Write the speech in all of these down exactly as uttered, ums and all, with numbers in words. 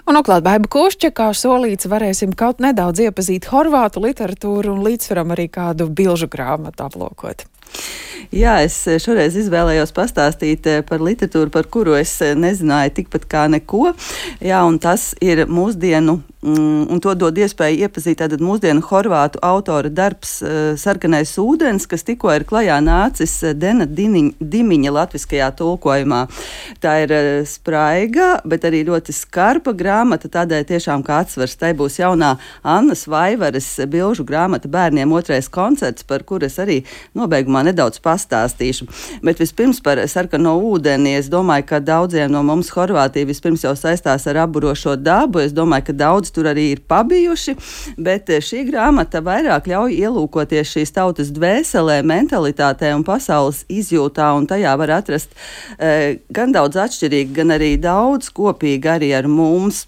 Un atklāt Baiba Kušķa, kā solīts, varēsim kaut nedaudz iepazīt horvātu literatūru un līdzsvaram arī kādu bilžu grāmatu aplūkot. Jā, es šoreiz izvēlējos pastāstīt par literatūru, par kuru es nezināju tikpat kā neko. Jā, un tas ir mūsdienu, un to dod iespēju iepazīt tātad mūsdienu horvātu autora darbs Sarkanais ūdens, kas tikko ir klajā nācis Dena Dimiņa latviskajā tulkojumā. Tā ir spraiga, bet arī ļoti skarpa grāmata, tādēļ tiešām kā atsvars. Tai būs jaunā Annas Vaivaras bilžu grāmata Bērniem otrais koncerts, par kur es arī nobeigumā nedaudz pastāstīšu. Bet vispirms par Sarkano ūdeni. Es domāju, ka daudziem no mums Horvātija vispirms jau saistās ar apburošo dabu. Es domāju, ka daudz tur arī ir pabijuši, bet šī grāmata vairāk ļauj ielūkoties šīs tautas dvēselē, mentalitātē un pasaules izjūtā, un tajā var atrast e, gan daudz atšķirīgi, gan arī daudz kopīgi arī ar mums.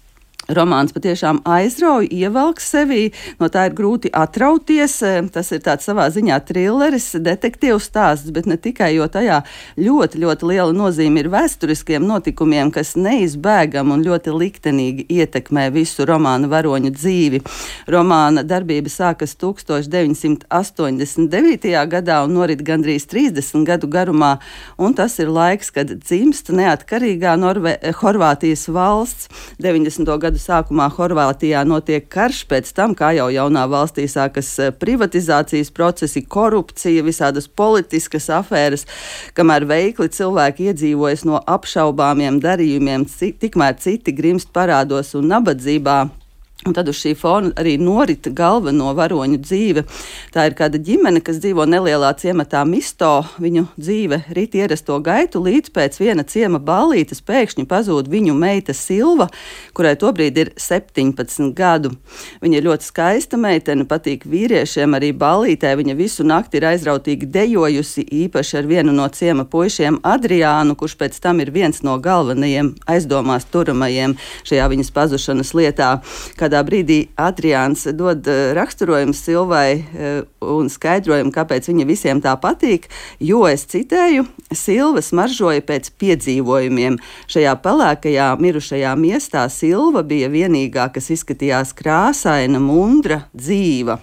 Romāns patiešām aizrauj, ievelk sevī, no tā ir grūti atrauties. Tas ir tāds savā ziņā trilleris, detektīvs stāsts, bet ne tikai, jo tajā ļoti, ļoti liela nozīme ir vēsturiskiem notikumiem, kas neizbēgam un ļoti liktenīgi ietekmē visu romāna varoņu dzīvi. Romāna darbība sākas tūkstoš deviņsimt astoņdesmit devītajā gadā un norit gandrīz trīsdesmit gadu garumā, un tas ir laiks, kad dzimst neatkarīgā Norve- Horvātijas valsts. deviņdesmito gadu sākumā Horvātijā notiek karš, pēc tam, kā jau jaunā valstī sākas privatizācijas procesi, korupcija, visādas politiskas afēras, kamēr veikli cilvēki iedzīvojas no apšaubāmiem darījumiem, tikmēr citi grimst parādos un nabadzībā. Un tad uz šī fona arī norita galveno varoņu dzīve. Tā ir kāda ģimene, kas dzīvo nelielā ciematā Misto. Viņu dzīve rit ierasto gaitu, līdz pēc viena ciema ballītes pēkšņi pazūd viņu meita Silva, kurai tobrīd ir septiņpadsmit gadu. Viņa ir ļoti skaista meitene, patīk vīriešiem, arī ballītē viņa visu nakti ir aizrautīgi dejojusi, īpaši ar vienu no ciema puišiem Adriānu, kurš pēc tam ir viens no galvenajiem aizdomās turamajiem šajā viņas pazušanas lietā. Kādā brīdī Adriāns dod raksturojumu Silvai un skaidrojumu, kāpēc viņa visiem tā patīk, jo, es citēju, Silva smaržoja pēc piedzīvojumiem. Šajā pelēkajā mirušajā miestā Silva bija vienīgā, kas izskatījās krāsaina, mundra, dzīva.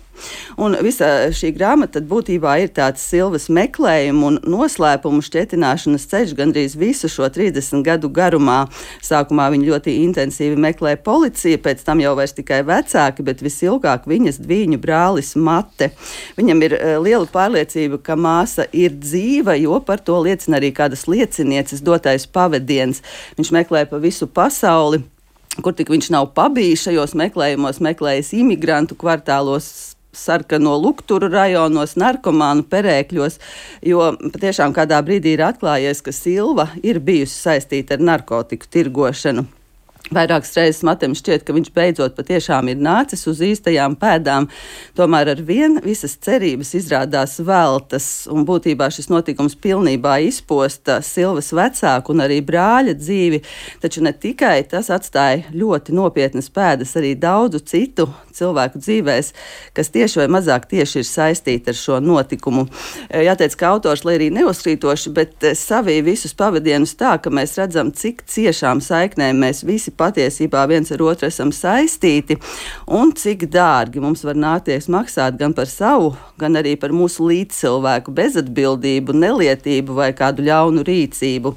Un visa šī grāmata būtībā ir tāds Silvas meklējumu un noslēpumu šķietināšanas ceļš gandrīz visu šo trīsdesmit gadu garumā. Sākumā viņa ļoti intensīvi meklē policija, pēc tam jau vairs tikai vecāki, bet visilgāk viņas dvīņu brālis Mate. Viņam ir uh, liela pārliecība, ka māsa ir dzīva, jo par to liecina arī kādas liecinieces dotais pavadiens. Viņš meklē pa visu pasauli, kur tik viņš nav pabijis šajos meklējumos, meklējis imigrantu kvartālos, sarkano lukturu rajonos, narkomānu perēkļos, jo patiešām kādā brīdī ir atklājies, ka Silva ir bijusi saistīta ar narkotiku tirgošanu. Vairākas reizes Matem šķiet, ka viņš beidzot patiešām ir nācis uz īstajām pēdām, tomēr ar vien visas cerības izrādās veltas, un būtībā šis notikums pilnībā izposta Silvas vecāku un arī brāļa dzīvi, taču ne tikai tas atstāja ļoti nopietnas pēdas arī daudzu citu cilvēku dzīvēs, kas tieši vai mazāk tieši ir saistīti ar šo notikumu. Jāteic, ka autors, lai arī neuzkrītoši, bet savī visus pavadienus tā, ka mēs redzam, cik ciešām saiknēm mēs visi patiesībā viens ar otru esam saistīti, un cik dārgi mums var nākties maksāt gan par savu, gan arī par mūsu līdzcilvēku bezatbildību, nelietību vai kādu ļaunu rīcību.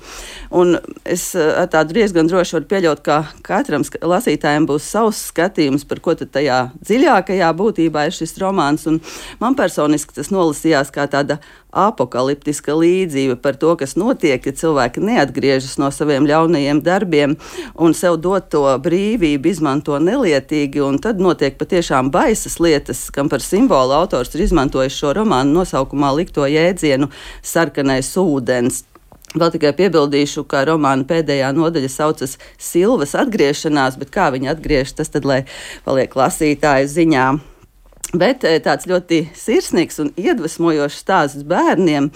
Un es ar tādu diezgan droši varu pieļaut, ka katram lasītājiem būs savs skatījums, par ko tad tajā dziļākajā būtībā ir šis romāns, un man personiski tas nolasījās kā tāda apokaliptiska līdzība par to, kas notiek, ja cilvēki neatgriežas no saviem ļaunajiem darbiem un sev doto brīvību izmanto nelietīgi, un tad notiek patiešām baisas lietas, kam par simbolu autors ir izmantojis šo romānu nosaukumā likto jēdzienu Sarkanais ūdens. Vēl tikai piebildīšu, ka romāna pēdējā nodaļa saucas Silvas atgriešanās, bet kā viņa atgriežas, tas tad, lai paliek lasītāju ziņā. Bet tāds ļoti sirsnīgs un iedvesmojošs stāsts bērniem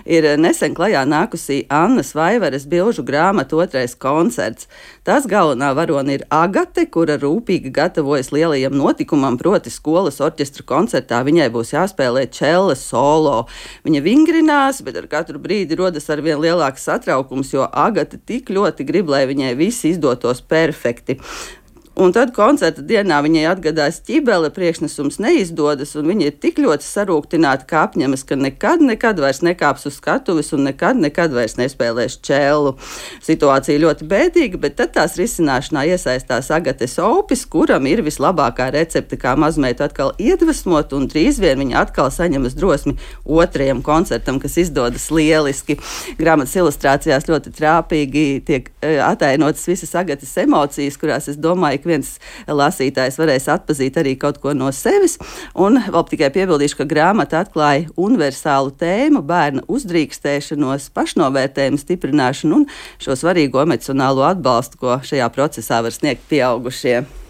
ir nesen klajā nākusī Annas Vaivaras bilžu grāmata Otrais koncerts. Tās galvenā varone ir Agate, kura rūpīgi gatavojas lielajam notikumam, proti skolas orķestra koncertā viņai būs jāspēlē čelle solo. Viņa vingrinās, bet ar katru brīdi rodas arvien lielāks satraukums, jo Agate tik ļoti grib, lai viņai viss izdotos perfekti. Un tad koncerta dienā viņai atgadās ķibele, priekšnesums neizdodas, un viņa ir tik ļoti sarūktināta, ka apņemas, ka nekad, nekad vairs nekāps uz skatuves un nekad, nekad vairs nespēlēs čēlu. Situācija ļoti bēdīga, bet tad tās risināšanā iesaistās Agates Opis, kuram ir vislabākā recepte, kā mazmeitu atkal iedvesmot, un drīz vien viņa atkal saņemas drosmi otrajam koncertam, kas izdodas lieliski. Grāmatas ilustrācijās ļoti trāpīgi tiek atainotas visas Agates emocijas, kurās, es domāju, ik viens lasītājs varēs atpazīt arī kaut ko no sevis. Un vēl tikai piebildīšu, ka grāmata atklāja universālu tēmu, bērna uzdrīkstēšanos, pašnovērtējumu stiprināšanu un šo svarīgo emocionālo atbalstu, ko šajā procesā var sniegt pieaugušie.